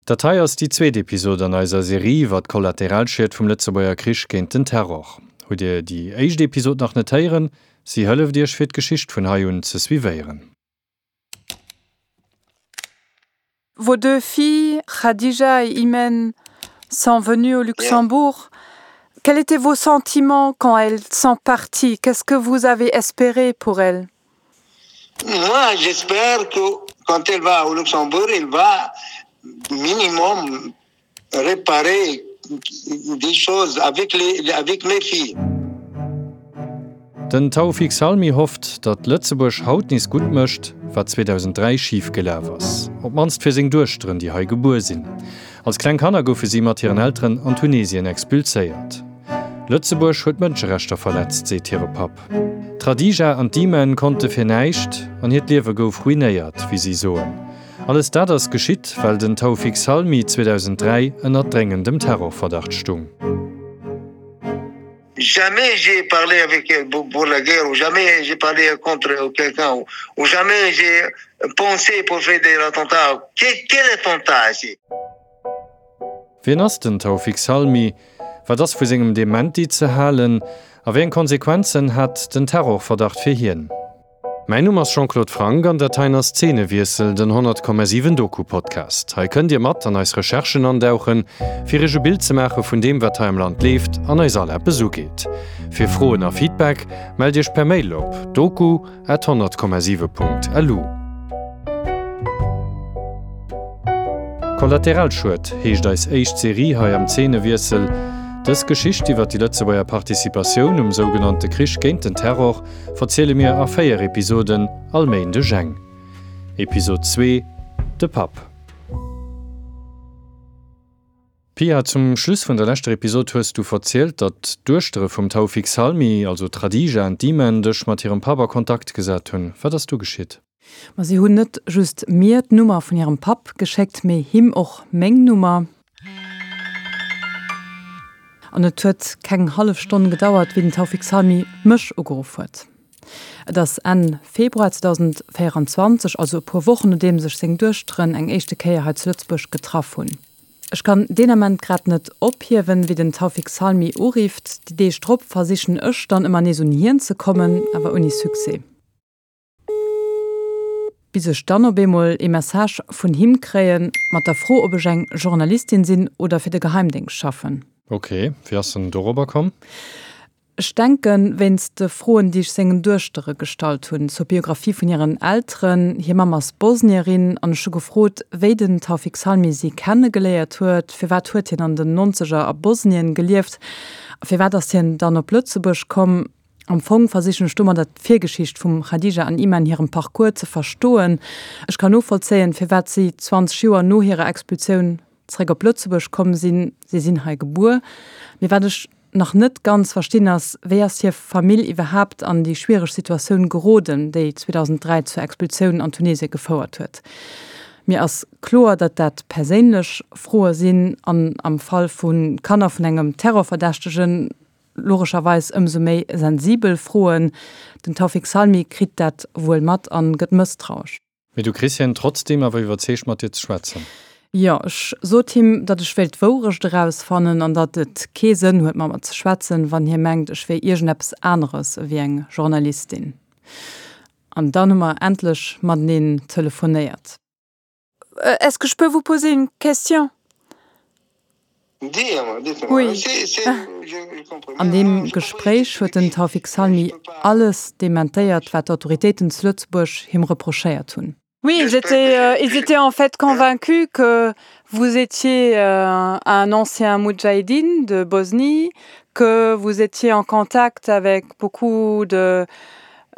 Dat hei ass déi zweet Episod an eiser Serie iwwer d'Kollateralschied vum Lëtzebuerger Krich géint den Terror. Hutt Dir déi éischt Episod nach net héieren? Si hëlleft Iech fir d'Geschicht vun hei un ze suivéieren. Vos deux filles, Khadija et Imen, sont venues au Luxembourg. Quels étaient vos sentiments quand elles sont parties? Qu'est-ce que vous avez espéré pour elles? Moi, j'espère que quand elle va au Luxembourg, elle va minimum réparer des choses avec les, avec mes filles. Den Taoufik Salmi hofft, datt Lëtzebuerg haut nees gutt mécht, wat 2003 schif gelaf ass. Op d'mannst fir seng Duechteren, déi hei gebuer sinn. Als kleng Kanner goufe si mat hiren Elteren an Tunesien expulséiert. Lëtzebuerg huet d'Mënscherechter verletzt, seet hire Papp. D'Khadija an d'Imen konnte fir näischt an hiert Liewe gouf ruinéiert, wéi si soen. Alles dat ass geschitt, well den Taoufik Salmi 2003 ënner dréngendem Terrorverdacht stung. Jamais j'ai parlé avec elle pour la guerre ou jamais j'ai parlé contre quelqu'un ou jamais j'ai pensé pour faire des attentats. Quel attentat ici? Wien ass den Taoufik Salmi? Wat ass vu sengem Dementi ze halen? A wéi eng Konsequenzen hat den Terrorverdacht fir hien? Mäin Numm ass Jean-Claude Franck an dat heien ass Zeenewiessel, den 100,7 Doku-Podcast. Hei kënnt Dir mat an eis Recherchen andauchen, fir Iech e Bild ze maache vun deem, wat hei am Land leeft an eis all eppes ugeet. Fir Froen a Feedback mellt Iech per Mail op doku. At 100,7 Punkt lu. Kollateralschued heescht eis éischt Serie hei am Zeenewiessel. Dës Geschicht iwwer déi Lëtzebuerger Participatioun um sougenannte Krich géint den Terror verziele mir a 4 Episoden, all Méindeg eng. Episod 2, De Papp. Pia, zum Schluss vun der leschter Episod hues du verzielt, datt d'Duechtere vum Taoufik Salmi, also d'Khadija an d'Imen, dech mat hirem Papp a Kontakt gesat hunn. Wat ass du geschitt? Ma si hunn net just mir d'Nummer vun hirem Papp geschéckt, mee him och meng Nummer. An et huet keng hallef Stonn gedauert, wéi den Taoufik Salmi mech ugeruff huet. Et ass Enn Februar 2024, also e puer Wochen nodeems ech seng Duechteren eng éischte Kéier hei zu Lëtzebuerg getraff hunn. Ech kann deen Ament grad net ophiewen, wéi den Taoufik Salmi urifft. Déi Deeg drop versichen ech dann ëmmer nees un hien ze kommen, awer ouni Succès. Bis ech dann op eemol ee Message vun him kréien, mat der Fro, ob ech eng Journalistin sinn oder fir de Geheimdéngscht schaffen. Ok, wéi ass en dorobber komm? Ech denken, wéinst de Froen, déi ech sengen Duechtere gestallt hunn zur Biographie vun hiren Elteren. Hir Mamm ass Bosnierin an ech hu gefrot, wéi den Taoufik Salmi si kenne geléiert huet, firwat huet hien an den Nonzeger a Bosnien gelieft a firwat ass hien dann op Lëtzebuerg komm. Am Fong versichen ech domadder d'Virgeschicht vum Khadija an Iman hirem Parcours ze verstoen. Ech kann novollzéien, firwat si 20 Joer no hirer Expulsioun zeréck op Lëtzebuerg komm sinn, si sinn hei gebuer. Mee wat ech nach net ganz verstinn ass, wéi ass hir Famill iwwerhaapt an déi schwiereg Situatioun geroden, déi 2003 zur Expulsioun an Tunesien gefouert huet? Mir ass kloer, datt dat perséinlech Froe sinn an am Fall vu Kanner vun engem Terrorverdächtegen logescherweis ëmsou méi sensibel Froen. Den Taoufik Salmi kritt dat wuel mat an gëtt mësstrauesch. Mee du kriss hien trotzdeem awer iwwerzeegt mat dir ze schwätzen? Jo, ech sot him, datt ech wéilt d'Wourecht erausfannen an datt et kee Sënn huet mat mer ze schwätzen, wann hie mengt, ech wier iergendeppes aneres ewéi eng Journalistin. An dann hu mer endlech mateneen telefonéiert. Est-ce que je peux vous poser une question? Oui. An deem Gespréich huet den Taoufik Salmi alles dementéiert, wat d'Autoritéiten zu Lëtzebuerg him reprochéiert hunn. Oui, ils étaient, ils étaient en fait convaincus que vous étiez un ancien moudjahidine de Bosnie, que vous étiez en contact avec beaucoup de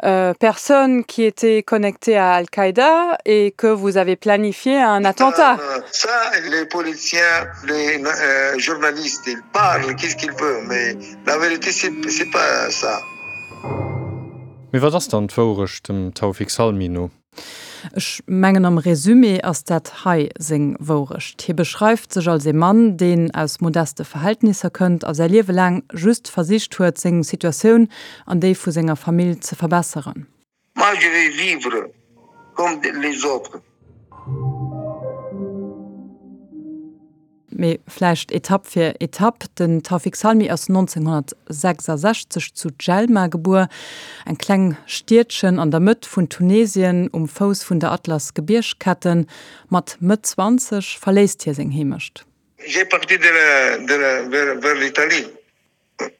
euh, personnes qui étaient connectées à Al-Qaïda et que vous avez planifié un attentat. Ça, les policiers, les euh, journalistes, ils parlent, qu'est-ce qu'ils veulent, mais la vérité, c'est pas ça. Mee wat ass dann d'Wourecht dem Taoufik Salmi no? Ech mengen am Resumé ass dat hei seng Wourecht. Hie beschreift sech als ee Mann, deen aus modeste Verhältnisser kënnt a säi Liewe laang just versicht huet, seng Situatioun an déi vu senger Famill ze verbesseren. Moi je vais vivre comme les autres. Mee vläicht Etapp fir Etapp. Den Tawfik Salmi ass 1966 zu Djelma gebuer, eng kleng Stiedchen an der Mëtt vun Tunesien, um Fouss vun der Atlas-Gebiergsketten. Mat Mëtt 20 verléisst hie seng Heemecht. J'ai parti de la, de la, vers, vers l'Italie.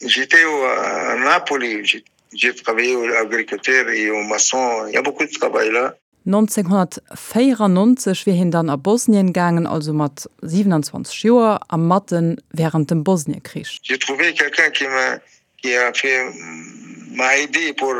J'étais à Napoli, j'ai travaillé au agriculteur et au maçon, il y a beaucoup de travail là. 1994 wier hien dann a Bosnien gaangen, also mat 27 Joer a matten wärend dem Bosniekrich. J'ai trouvé quelqu'un qui m'a qui a fait m'a aidé pour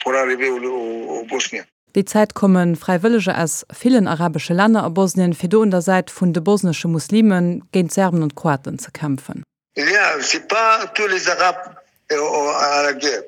pour arriver au au Bosnien. Déi Zäit komme Fräiwëlleger aus villen arabesche Länner a Bosnien, fir do un der Säit vun de bosnesche Muslime géint d'Serben an d'Kroaten ze kämpfen. Il y a c'est pas tous les arabes à la guerre.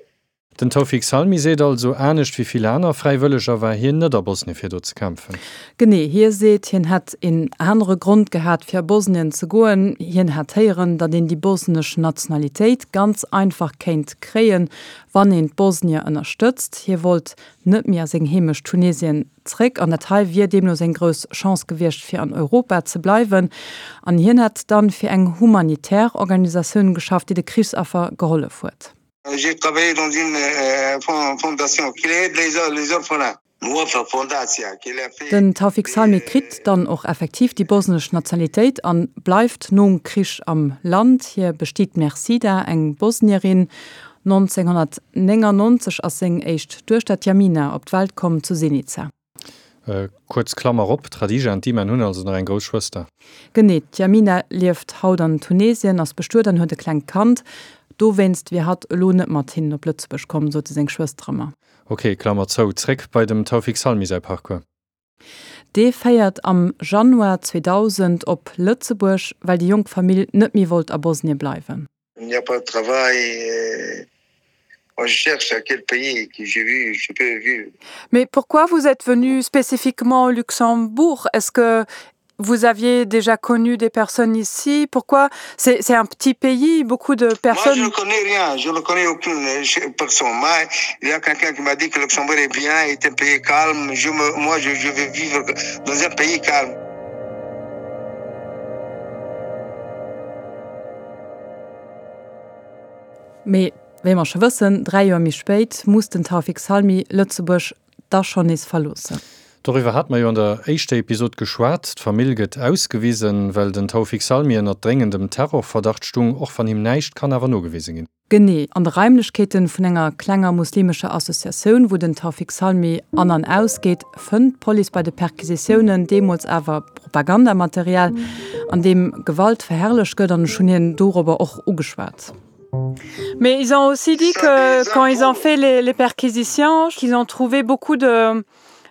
Den Tawfik Salmi seet also, anescht wéi vill aner Fräiwëlleger war hien net a Bosnien fir do ze kämpfen. Genee, hie seet, hien hätt een anere Grond gehat fir a Bosnien ze goen. Hien hätt héieren, datt een déi bosnesch Nationalitéit ganz einfach kéint kréien, wann een d'Bosnier ënnerstëtzt. Hie wollt net méi a seng Heemecht Tunesien zréck an dat hei wier deemno seng grouss Chance gewiescht fir an Europa ze bleiwen. An hien hätt dann fir eng humanitär Organisatioun geschafft, déi de Krichsaffer gehollef huet. J'ai travaillé dans une fondation qui aide les orphelins. Den Tawfik Salmi kritt dann och effektiv déi bosnesch Nationalitéit an bleift nom Krich am Land. Hie bestiet d'Mersida, eng Bosnierin. 1999 ass seng éischt Duechter, d'Yamina, op d'Welt komm zu Zenica. Kuerz Klammer op, D'Khadija an d'Iman hunn also nach eng grouss Schwëster. Genee, d'Yamina lieft haut an Tunesien, ass bestuet an huet e klengt Kand. Dowéinst wier hatt elo net mat hinnen op Lëtzebuerg komm, sote seng Schwëstere mer. Ok, Klammer zou. Zréck bei dem Taoufik Salmi säi Parcours. Dee féiert am Januar 2000 op Lëtzebuerg, well déi jonk Famill net méi wollt a Bosnie bleiwen. Il n'y a pas de travail, moi je cherche à quel pays que j'ai vu, je peux vivre. Mais pourquoi vous êtes venu spécifiquement au Luxembourg? Est-ce que vous aviez déjà connu des personnes ici? Pourquoi? C'est un petit pays, beaucoup de personnes. Moi, je ne connais rien, je ne connais aucune personne. Moi, il y a quelqu'un qui m'a dit que Luxembourg est bien, est un pays calme. Je me, moi, je, je vais vivre dans un pays calme. Mee wéi mer scho wëssen, 3 Joer méi spéit muss den Taoufik Salmi Lëtzebuerg da schonn nees verloossen. Doriwwer hate mer jo an der éischter Episod geschwat. D'Famill gëtt ausgewisen, well den Taoufik Salmi ënnert dréngendem Terrorverdacht stung, och wann him näischt kann awer nogewise ginn. Genee, an de Raimlechkeeten vun enger klenger muslimescher Associatioun, wou den Taoufik Salmi an an aus geet, fënnt d'Police bei de Perquisitiounen deemools awer Propagandamaterial, an deem Gewalt verherrlecht gëtt, an ech hunn hien dorobber och ugeschwat. Mais ils ont aussi dit que quand ils ont fait les, les perquisitions, qu'ils ont trouvé beaucoup de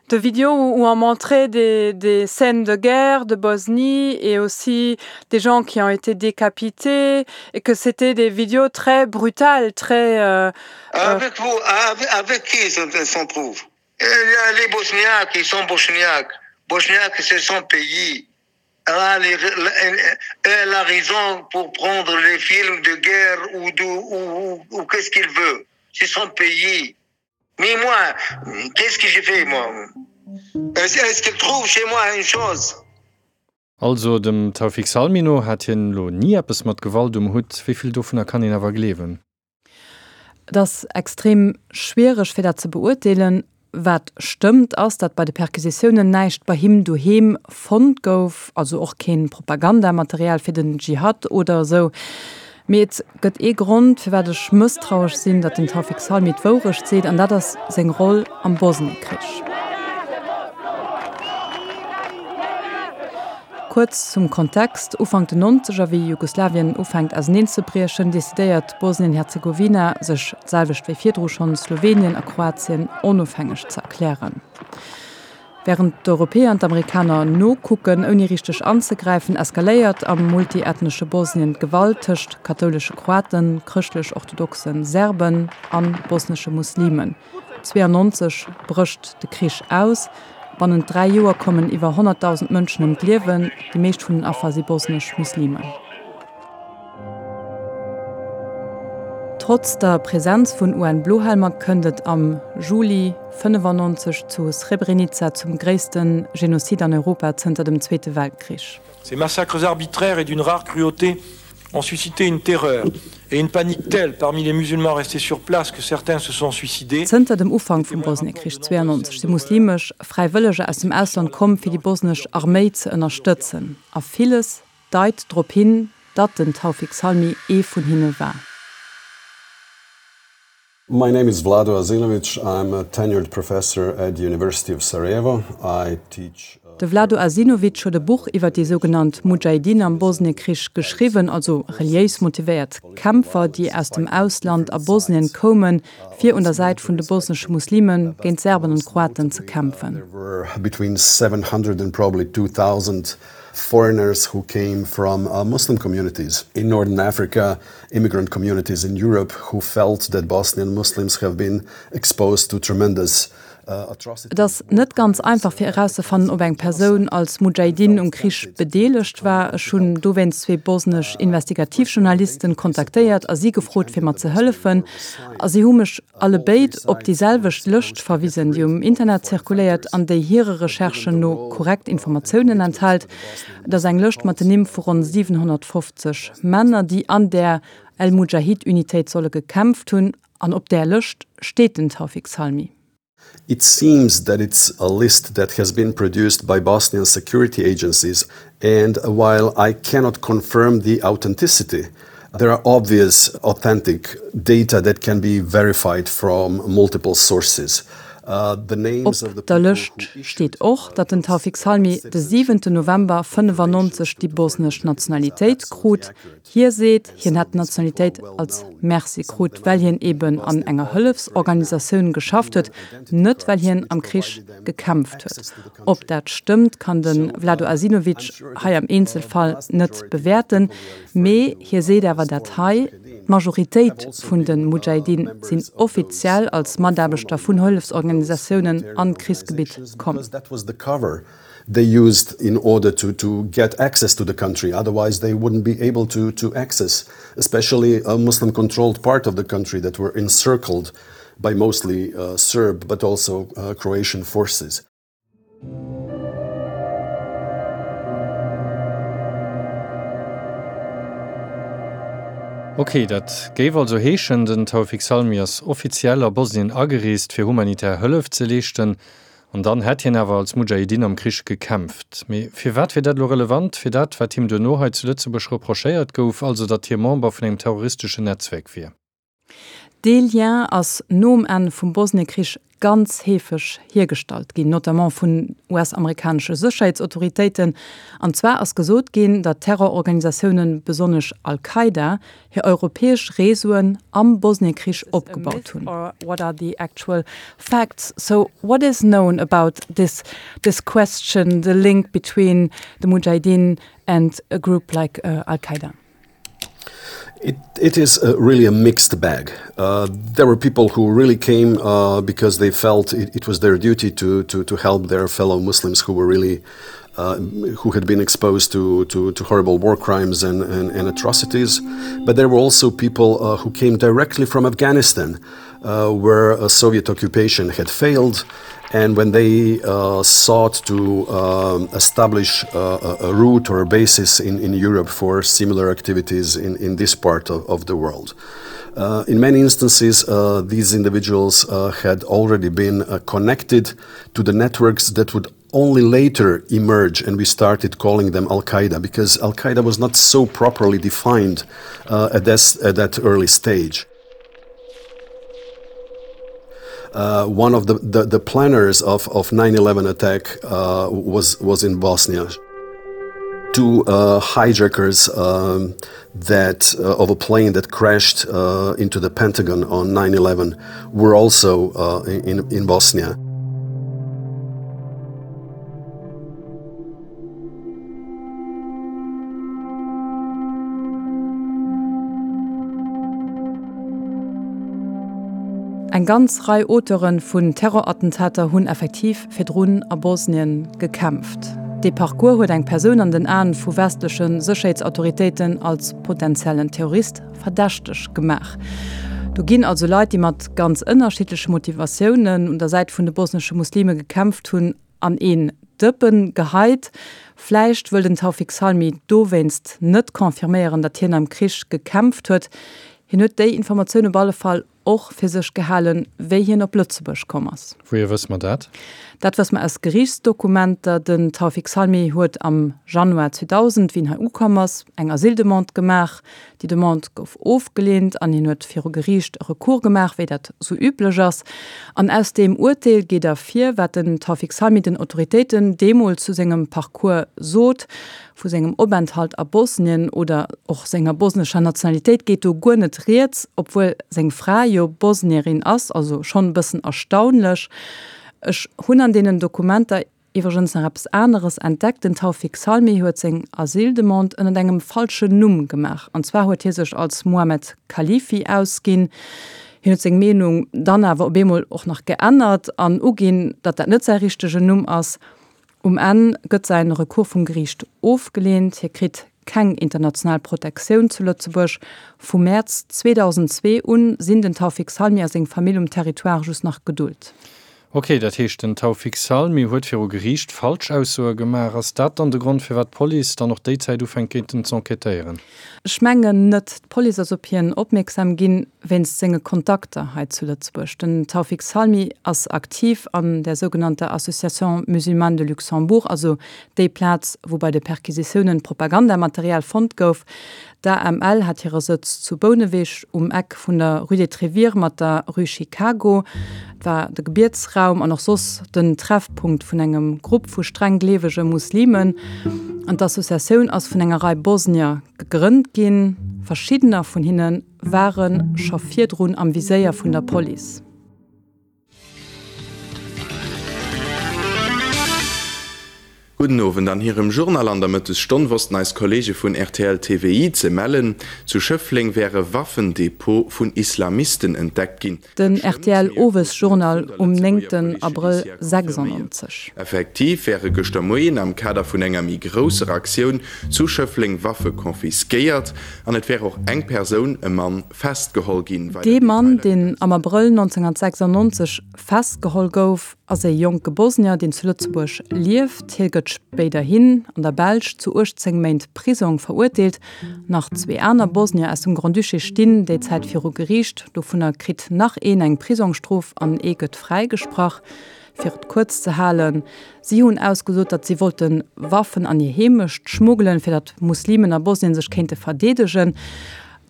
de vidéos où on montrait des, des scènes de guerre de Bosnie et aussi des gens qui ont été décapités et que c'était des vidéos très brutales, très euh, avec vous, avec, avec qui s'en trouve Les Bosniaques, ils sont Bosniaques. Bosniaques, c'est son pays. Elle a, les, elle a raison pour prendre les films de guerre ou, de, ou, ou, ou qu'est-ce qu'il veut. C'est son pays. Mais moi, qu'est-ce que j'ai fait moi Est-ce qu'il trouve chez moi une chose Also dem Taoufik Salmi no hat hien elo ni eppes mat Gewalt um Hutt. Wéi vill dovunner kann een awer gleewen? Et ass extrem schwiereg fir dat ze beurteelen. Wat stëmmt ass, datt bei de Perquisitiounen näischt bei him doheem fonnt gouf, also och keen Propagandamaterial fir den Dschihad oder esou. Mee et gëtt ee Grond, firwat ech mësstrauesch sinn, datt den Taoufik Salmi d'Wourecht seet, an dat ass seng Roll am Bosniekrich. Kuerz zum Kontext, Ufank den Nonzeger, wéi Jugoslawien ufänkt auseneenzebriechen, decidéiert Bosnien-Herzegowina, sech, d'selwecht wéi virdru schonn Slowenien a Kroatien, onofhängeg ze erklären. Wärend d'Europäer an d'Amerikaner nokucken, ouni richteg anzegräifen, eskaléiert am multiethnesche Bosnien d'Gewalt tëscht kathoulesche Kroaten, chrëschtlech-orthodoxe Serben a bosnesche Muslimen. 92 brécht de Krich aus. Bannent 3 Joer kommen iwwer 100.000 Mënschen ëm d'Liewen, déi meescht vun den Affer si bosnesch Muslimen. Trotz der Presenz vun UN-Blohelmer kënnt et am Juli 95 zu Srebrenica zum gréisste Genozid an Europa zënter dem Zweete Weltkrich. Ces massacres arbitraires et d'une rare cruauté ont suscité une terreur et une panique telle parmi les musulmans restés sur place que certains se sont suicidés. Zënter dem Ufank vum Bosniekrich 92 si muslimesch Fräiwëlleger aus dem Ausland komm, fir déi bosnesch Arméi ze ënnerstëtzen. A villes deit drop hin, datt den Tawfik Salmi ee vun hinne war. My name is Vlado Azinovic. I'm a tenured professor at the University of Sarajevo. I teach. De Vlado Azinovic huet e Buch iwwer déi sougenannt Mudschahidin am Bosniekrich geschriwwen, also reliéis motivéiert Kämpfer, déi aus dem Ausland a Bosnien koumen, fir un der Säit vun de bosnesche Muslime géint d'Serben an d'Kroaten ze kämpfen. There were between 700 and probably 2000 foreigners who came from Muslim communities in Northern Africa, immigrant communities in Europe who felt that Bosnian Muslims have been exposed to tremendous atrocities. Et ass net ganz einfach fir erauszefannen, ob eng Persoun als Mudschahidin um Krich bedeelegt war. Ech hunn dowéinst zwee bosnesch Investigativjournalisten kontaktéiert a si gefrot fir mer ze hëllefen. A si hu mech allebéid op déi selwecht Lëscht verwisen, déi um Internet zirkuléiert an déi hire Recherchen no korrekt Informatiounen enthält. Et ass eng Lëscht mat den Nimm vu ronn 750 Männer, déi an där El-Mudschahid-Unitéit solle gekämpft hunn. An op där Lëscht steet den Tawfik Salmi. It seems that it's a list that has been produced by Bosnian security agencies and while I cannot confirm the authenticity, there are obvious authentic data that can be verified from multiple sources. Op der Lëscht steet och, datt den Tawfik Salmi de siwente November 95 déi bosnesch Nationalitéit krut. Hie seet, hien hätt d'Nationalitéit als Merci krut, well hien eben an enger Hëllefsorganisatioun geschafft huet, net well hien am Krich gekämpft huet. Ob dat stëmmt, kann de Vlado Azinovic hei am Eenzelfall net bewäerten, mee hie seet awer dat hei, D'Majoritéit vun de Mudschahidin sinn offiziell als Mataarbechter vun Hëllefsorganisatiounen an d'Krichsgebitt komm. They used in order to to get access to the country, otherwise they wouldn't be able to to access especially a Muslim controlled part of the country that were encircled by mostly Serb but also Croatian forces. Ok, dat géif also heeschen, den Tawfik Salmi ass offiziell a Bosnien agereest fir humanitär Hëllef ze leeschten, An dann hätt hien awer als Mudschahidin am Krich gekämpft. Mee firwat wier dat elo relevant fir dat, wat him duerno hei zu Lëtzebuerg reprochéiert gouf, also datt hie Member vun engem terroristeschen Netzwerk wier? Dee Lien ass nom Enn vum Bosniekrich ganz heefeg hiergestallt ginn, notamment vun US-amerikanesche Sécherheetsautoritéiten. An zwar ass gesot ginn, datt Terrororganisatiounen, besonnesch Al-Qaida, hir europäesch Réseauen am Bosniekrich opgebaut hunn. What are the actual facts? So what is known about this this question, the link between the Mujahideen and a group like Al-Qaida? It, it is a, really a mixed bag. Uh, there were people who really came uh, because they felt it, it was their duty to, to, to help their fellow Muslims who were really uh, who had been exposed to, to, to horrible war crimes and, and, and atrocities. But there were also people uh, who came directly from Afghanistan, uh, where a Soviet occupation had failed. And when they uh, sought to um, establish uh, a, a route or a basis in, in Europe for similar activities in, in this part of, of the world. Uh, in many instances, uh, these individuals uh, had already been uh, connected to the networks that would only later emerge and we started calling them Al-Qaeda because Al-Qaeda was not so properly defined uh, at, this, at that early stage. Uh, one of the, the, the planners of, of 9-11 attack uh, was, was in Bosnia. Two uh, hijackers um, that uh, of a plane that crashed uh, into the Pentagon on 9-11 were also uh, in, in Bosnia. Eng ganz Rei Auteure vun Terrorattentater hunn effektiv virdrun a Bosnien gekämpft. Dee Parcours huet eng Persoun an den Aen vu westleche Sécherheetsautoritéiten als potentiellen Terrorist verdächteg gemaach. Do ginn also Leit, déi mat ganz ënnerschiddleche Motivatiounen un der Säit vun de bosnesche Muslime gekämpft hunn, an een. Dëppen geheit. Vläicht wëll den Taoufik Salmi dowéinst net confirméieren, datt hien am Krich gekämpft huet. Hien huet déi Informatioun op alle Fall och fir sech gehalen, wéi hien op Lëtzebuerg komm ass. Wouhier wësse mer dat? Dat wësse mer aus Geriichtsdokumenter. Den Taoufik Salmi huet am Januar 2000, wéi en hei ukomm ass, eng Asyldemande gemaach. Déi Demande gouf ofgeleent an hien huet viru Geriicht e Recours gemaach, wéi dat sou üblech ass. An aus deem Urteel geet ervir, wat den Taoufik Salmi den Autoritéiten deemools zu sengem Parcours sot. Vu sengem Openthalt a Bosnien oder och senger bosnescher Nationalitéit geet do guer net rieds, obwuel seng Fra jo Bosnierin ass, also schonn e bëssen erstaunlech. Ech hunn an deenen Dokumenter iwwregens nach eppes aneres entdeckt, Den Taoufik Salmi huet seng Asyldemande ënnert engem falschen Numm gemaach, an zwar huet hie sech als Mohamed Khalifi ausginn. Hien huet seng Meenung dann awer op eemol och nach geännert an uginn, datt dat net säi richtegen Numm ass. Um Enn gëtt säin Recours vum Geriicht ofgeleent, hie kritt keng international Protektioun zu Lëtzebuerg. Vu Mäerz 2002 un sinn den Taoufik Salmi a seng Famill um Territoire just nach gedult. Ok, dat heescht den Taoufik Salmi huet viru Geriicht Falschaussoe gemaach. Ass dat dann de Grond firwat d'Police dann och déi Zäit ufänkt géint en z'enquêtéieren? Ech mengen net. D'Police ass op hien opmierksam ginn wéinst senge Kontakter hei zu Lëtzebuerg. Den Taoufik Salmi ass aktiv an der sougenannter Association musulmane de Luxembourg, also déi Plaz, wou bei de Perquisitiounen Propagandamaterial fonnt gouf. D'AML hat hire Sëtz zu Bouneweg um Eck vun der Rue des Trévires mat der Rue Chicago. Et war de Gebietsraum an och soss den Treffpunkt vun engem Grupp vu streng gleewege Muslimen. An d'Associatioun ass vun enger Rei Bosnier gegrënnt ginn. Verschiddener vun hinne ware scho virdrun am Viséier vun der Police. Gudden Owend. An hirem Journal an der Mëttesstonn wossten eis Kolleege vun rtl TVI ze mellen, zu Schëffleng wär e Waffendepot vun Islamisten entdeckt ginn. Den rtl Owesjournal um 9 Abrëll 96. Effektiv wäre gëschter Moien am Kader vun enger méi grousser Aktioun zu Schëffleng Waffe confisquéiert an et wär och eng Persoun, e Mann, festgeholl ginn. Weider Dee Mann, deen am Abrëll 1996 festgeholl gouf, ass e jonke Bosnier, deen zu Lëtzebuerg lieft. Hie gëtt spéiderhin an der Belsch zu 18 Méint Prisong verurteelt. Nach zwee aner Bosnier aus dem Grand-Duché stinn déi Zäit viru Geriicht. Dovunner kritt nach een eng Prisongstrof an ee gëtt fräigesprach. Fir et kuerz ze halen, Si hunn ausgesot, datt si wollte Waffen an hir Heemecht schmuggelen, fir datt Muslimen a Bosnien sech kéinte verdeedegen.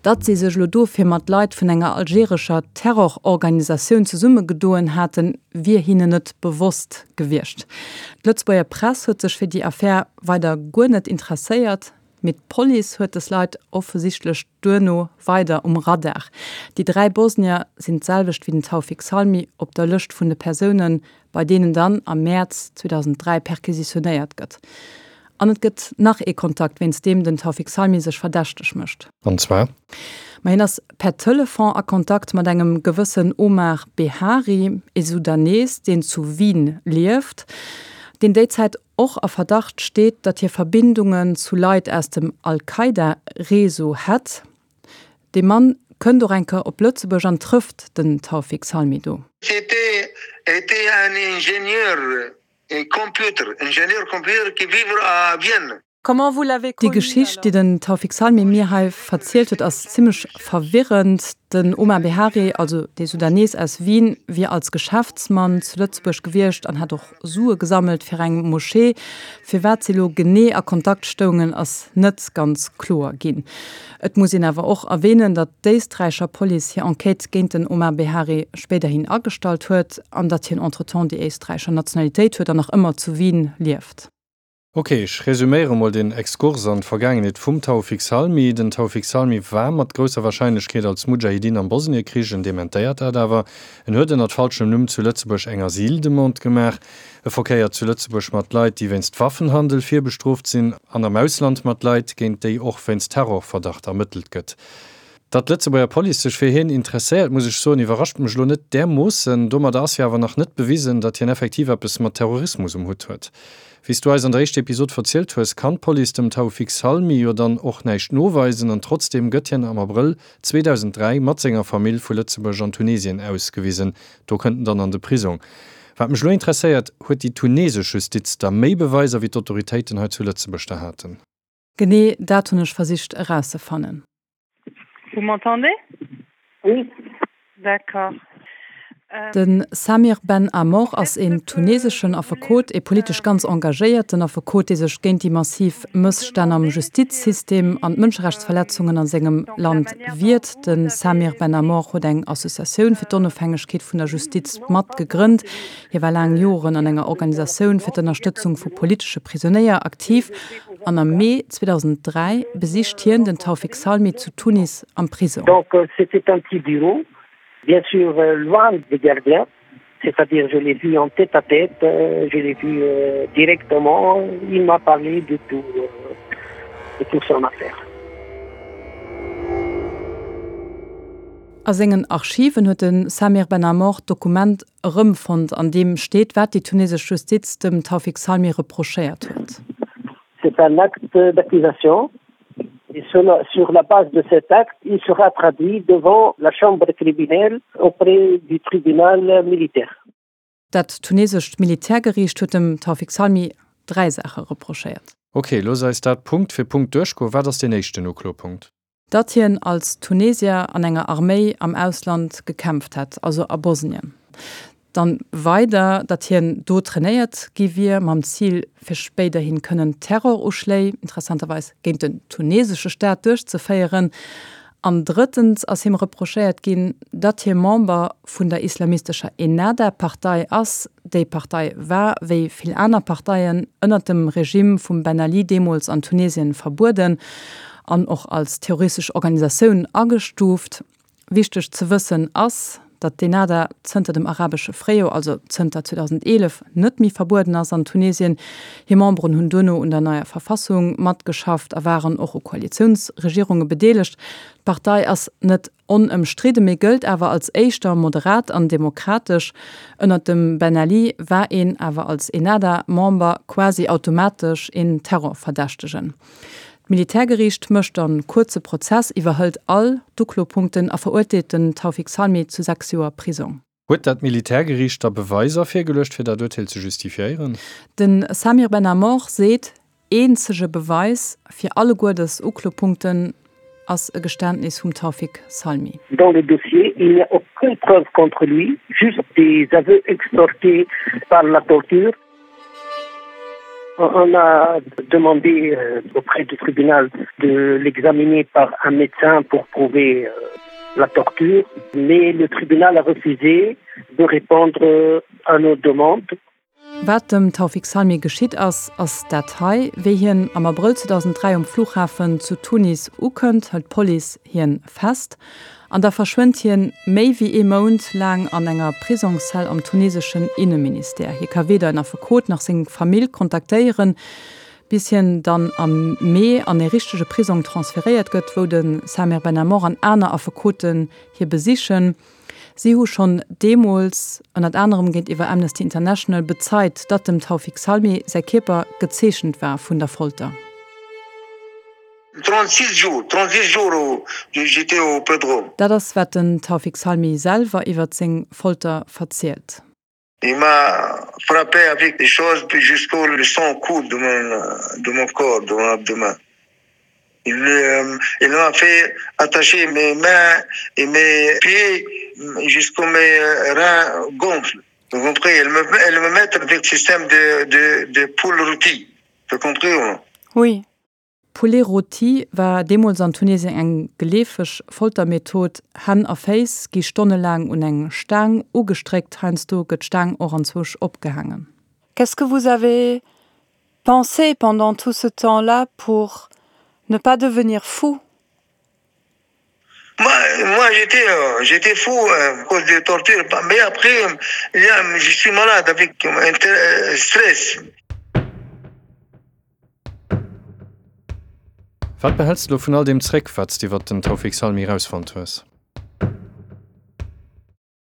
Datt si sech elo dofir mat Leit vun enger algerescher Terrororganisatioun zesummegedoen haten, wier hinnen net bewosst gewiescht. D'Lëtzebuerger Press huet sech fir déi Affär weider guer net interesséiert, mee d'Police huet des Leit offesichtlech duerno weider um Radar. Déi 3 Bosnier sinn d'selwecht wéi den Taoufik Salmi op der Lëscht vun de Persounen, bei deenen dann am Mäerz 2003 perquisitionéiert gëtt. An et gëtt nach ee Kontakt, wéinst deem den Taoufik Salmi sech verdächteg mécht. An zwar? Ma hien ass per Telefon a Kontakt mat engem gewëssen Omar Behari, ee Sudanees, deen zu Wien lieft, deen déi Zäit och a Verdacht steet, datt hie Verbindungen zu Leit aus dem Al-Qaida-Réseau hätt. Dee Mann kënnt och eng Kéier op Lëtzebuerg an trëfft den Taoufik Salmi do. C'était était un ingénieur computer, ingénieur computer qui vivre à Vienne. Comment vous l'avez connu Déi Geschicht, déi den Taoufik Salmi mir hei verzielt huet, ass zimmlech verwirrend. Den Omar Behari, also dee Sudanees aus Wien, wier als Geschäftsmann zu Lëtzebuerg gewiescht an hätt och Sue gesammelt fir eng Moschee. Firwat si lo genee a Kontakt stoungen, ass net ganz kloer ginn. Et muss een awer och erwähnen, datt d'éisträicher Police hir Enquête géint den Omar Behari spéiderhin agestallt huet an datt hien entretemps déi éisträicher Nationalitéit huet an nach ëmmer zu Wien lieft. Ok, ech resuméiere mol den Exkurs an d'Vergaangenheet vum Taoufik Salmi. Den Taoufik Salmi war mat grousser Warscheinlechkeet als Mudschahidin am Bosniekrich, en dementéiert dat awer. En huet ënnert falschem Numm zu Lëtzebuerg eng Asyldemande gemaach. E verkéiert zu Lëtzebuerg mat Leit, déi wéinst Waffenhandel virbestrooft sinn, an am Ausland mat Leit, géint déi och wéinst Terrorverdacht ermëttelt gëtt. Datt d'Lëtzebuerger Police sech fir hien interesséiert, muss ech soen, iwwerrascht mech elo net därmoossen. Domadder ass jo awer nach net bewisen, datt hien effektiv eppes mat Terrorismus um Hutt huet. Wéi s du eis an der éischter Episod verzielt hues, kann d'Police dem Taoufik Salmi jo dann och näischt noweisen an trotzdeem gëtt hien am Abrëll 2003 mat senger Famill vu Lëtzebuerg an Tunesien ausgewisen. Do kënnt en dann an de Prisong. Wat mech elo interesséiert, Huet déi tunesesch Justiz da méi Beweiser wéi d'Autoritéiten hei zu Lëtzebuerg der haten? Genee dat hunn ech versicht erauszefannen. Vous m'entendez? Oui. D'accord. De Samir Ben Amor ass een tuneseschen Affekot, ee politesch ganz engagéierten Affekot, dee sech géint déi massiv Mësstänn am Justizsystem an d'Mënscherechtsverletzungen a sengem Land wiert. De Samir Ben Amor huet eng Associatioun fir d'Onofhängegkeet vun der Justiz mat gegrënnt. Hie war laang Joren an enger Organisatioun fir d'Ënnerstëtzung vu politesche Prisonéier aktiv an am Mee 2003 besicht hien den Taoufik Salmi zu Tunis am Prisong. Donc c'était un petit bureau, bien sûr loin des gardiens, c'est-à-dire je l'ai vu en tête à tête, je l'ai vu directement, il m'a parlé de tout, de tout son affaire. A sengen Archiven huet de Samir Ben Amor d'Dokument erëmfonnt, an deem steet, wat déi tunesesch Justiz dem Taoufik Salmi reprochéiert huet. C'est un acte d'accusation et sur la base de cet acte, il sera traduit devant la chambre criminelle auprès du tribunal militaire. Dat tunesescht Militärgeriicht huet dem Taoufik Salmi 3 Saache reprochéiert. Ok, looss eis dat Punkt fir Punkt duerchgoen. Wat ass deen éischten Uklopunkt? Datt hien als Tunesier an enger Arméi am Ausland gekämpft hätt, also a Bosnien. Dann weider, datt hien do trainéiert gi wier, mam Zil fir spéiderhin kënnen Terroruschléi, interessanterweis géint den tunesesche Staat, duerchzeféieren. An drëttens ass him reprochéiert ginn, datt hie Member vun der islamistescher Ennahda-Partei ass. Déi Partei war, wéi vill aner Parteien, ënnert dem Regime vum Ben Ali deemools an Tunesien verbueden an och als terroristesch Organisatioun agestuuft. Wichteg ze wëssen ass, datt d'Ennahda zënter dem arabesche Fréijoer, also zënter 2011, net méi verbueden ass an Tunesien. Hir Memberen hunn duerno un der neier Verfassung matgeschafft a waren och u Koalitiounsregierunge bedeelegt. D'Partei ass net onëmstridde, mee gëllt awer als éischter moderat an demokratesch. Ënnert dem Ben Ali war een awer als Ennahda-Member quasi automatesch een Terrorverdächtegen. D'Militärgeriicht mécht e kuerze Prozess, iwwerhëlt all d'Uklopunkten a verurteelt den Taoufik Salmi zu 6 Joer Prisong. Huet dat Militärgeriicht da Beweiser virgeluecht, fir dat Urteel ze justifiéieren? De Samir Ben Amor seet, eenzege Beweis fir alleguer dës Uklopunkten ass e Geständnis vum Taoufik Salmi. Dans le dossier, il n'y a aucune preuve contre lui, juste des aveux extorqués par la torture. On a demandé euh, auprès du tribunal de l'examiner par un médecin pour prouver euh, la torture, mais le tribunal a refusé de répondre euh, à nos demandes. Wat dem Taoufik Salmi geschitt ass, ass dat hei, Wéi hien am Abrëll 2003 um Flughafen zu Tunis ukënnt, hëlt d'Police hien fest an da verschwënnt hien méi wéi ee Mount laang an enger Prisongszell am tuneseschen Inneministère. Hie ka weder en Affekot nach seng Famill kontaktéieren, bis hien dann am Mee an ee richtege Prisong transferéiert gëtt, wou de Samir Ben Amor an aner Affekoten hie besichen. Si hu schonn deemools, ënnert anerem géintiwwer Amnesty International, bezeit, datt dem Taoufik Salmi säi Kierper gezeechent war vun der Folter. 36 jours, 36 jours j'étais au Pedro. Dat ass wat den Taoufik Salmi selwer iwwert seng Folter verzielt. Il m'a frappé avec des choses jusqu'au le sang coule de mon de mon corps, de mon abdomen. Il euh, il m'a fait attacher mes mains et mes pieds jusqu'au mes reins gonflent. Vous comprenez? Elle me, elle me met avec système de, de, de poule rôtie. Vous comprenez ou non? Oui. Poulet rôti war deemools an Tunesien eng geleefeg Foltermethod. Hänn a Féiss gi stonnelaang un eng Staang ugestréckt, heiansdo gëtt d'Staang och anzwousch opgehaangen. Qu'est-ce que vous avez pensé pendant tout ce temps-là pour ne pas devenir fou? Moi, moi j'étais euh, j'étais fou euh, à cause des tortures, mais après je suis malade avec un euh, stress. Wat behäls de lo vun all deem zréck, wat s de iwwert den Taoufik Salmi erausfonnt hues?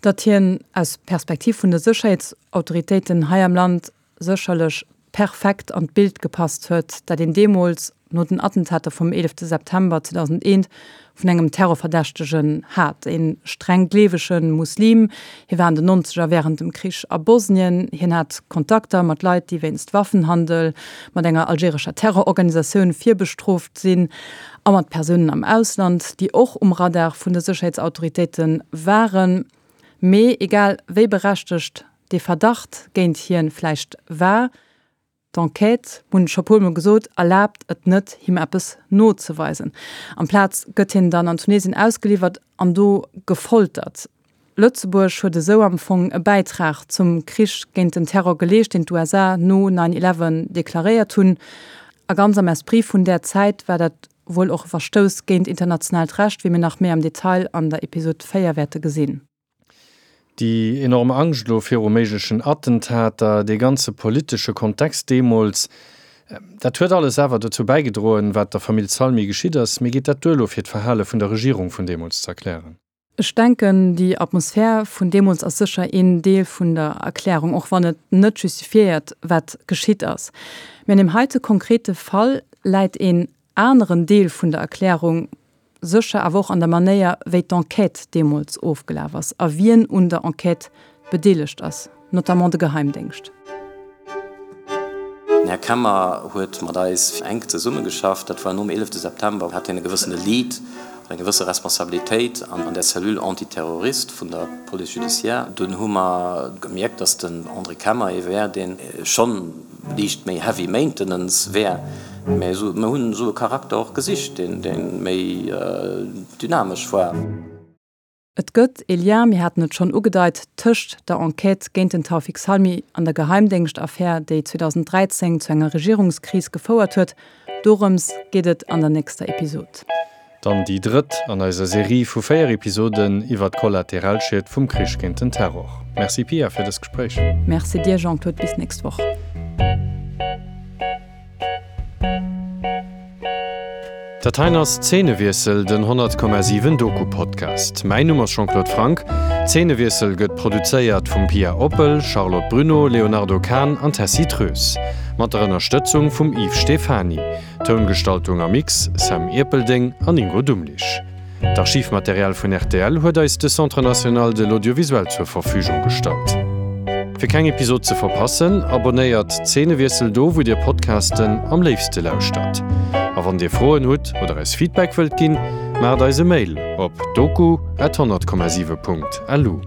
Datt hien aus Perspektiv vun de Sécherheetsautoritéiten hei am Land sécherlech. perfekt an d'Bild gepasst huet, dat een deemools, no den Attentater vum 11 September 2001, vun engem Terrorverdächtegen hat. E streng gleewege Muslim, hie war an den Nonzeger wärend dem Krich a Bosnien, hien hat Kontakter mat Leit, déi wéinst Waffenhandel mat enger algerescher Terrororganisatioun virbestrooft sinn, a mat Persounen am Ausland, déi och um Radar vun de Sécherheetsautoritéite waren. Mee egal wéi berechtegt dee Verdacht géint hien vläicht war, d'Enquête, hunn ech scho puer mol gesot, erlaabt et net him eppes nozeweisen. Amplaz gëtt hien dann an Tunesien ausgeliwwert an do gefoltert. Lëtzebuerg huet esou am Fong e Bäitrag zum Krich géint den Terror geleescht, deen d'USA no Nine Eleven deklaréiert hunn. A ganz am Esprit vun där Zäit war dat wuel och e Verstouss géint internationaalt Recht, wéi mir nach méi am Detail an der Episod 4 wäerte gesinn. Déi enorm Angscht elo viru méiglechen Attentater, dee ganze politesche Kontext deemools, dat huet alles awer dozou bäigedroen, wat der Famill Salmi geschitt ass. Mee geet dat duer elo fir d'Verhale vun der Regierung vun deemools ze erklären? Ech denken, déi Atmosphär vun deemools ass sécher een Deel vun der Erklärung, och wann et net justifiéiert, wat geschitt ass. Mee an deem heite konkrete Fall läit een aneren Deel vun der Erklärung sécher awer och an der Manéier, wéi d'Enquête deemools ofgelaf ass a wien un der Enquête bedeelegt ass, notamment de Geheimdéngscht. Den Här Kemmer huet mat eis enk zesummegeschafft. Dat war nom 11 September, hat hien e gewëssene Lead an eng gewësse Responsabilitéit an der Cellule antiterroriste vun der Police judiciaire. Dunn hu mer gemierkt, datt den André Kemmer ee wär, dee schonn liicht méi heavy maintenance wär, mä mer hunn esou e Charakter och gesicht, deen méi dynamesch war. Et gëtt ee Lien, mir haten et schonn ugedeit, tëscht der Enquête géint den Taoufik Salmi an der Geheimdéngschtaffär, déi 2013 zu enger Regierungskris gefouert huet. Dorëms geet et an der nächster Episod. Dann déi drëtt an eiser Serie vu 4 Episoden iwwer d'Kollateralschied vum Krich géint den Terror. Merci Pia fir dëst Gespréich. Merci dir Jean-Claude, bis nächst Woch. Dat heien ass Zeenewiessel, den 100,7 Doku-Podcast. Mäin Numm ass Jean-Claude Franck. Zeenewiessel gëtt produzéiert vum Pia Oppel, Charlotte Bruneau, Léonardo Kahn an Tessy Treus. Mat der Ënnerstëtzung vum Yves Stephany. Toungestaltung a Mix, Sam Ierpeldeng an Ingo Dumlich. D'Archivmaterial vun rtl huet eis de Centre National de l'Audiovisuel zur Verfügung gestallt. Fir keng Episod ze verpassen, abonnéiert Zeenewiessel do wou dir Podcasten am léifste lauschtert. A wann dir Froen hutt oder eis Feedback wëllt ginn, maacht eis e Mail op doku at 100,7 Punkt lu.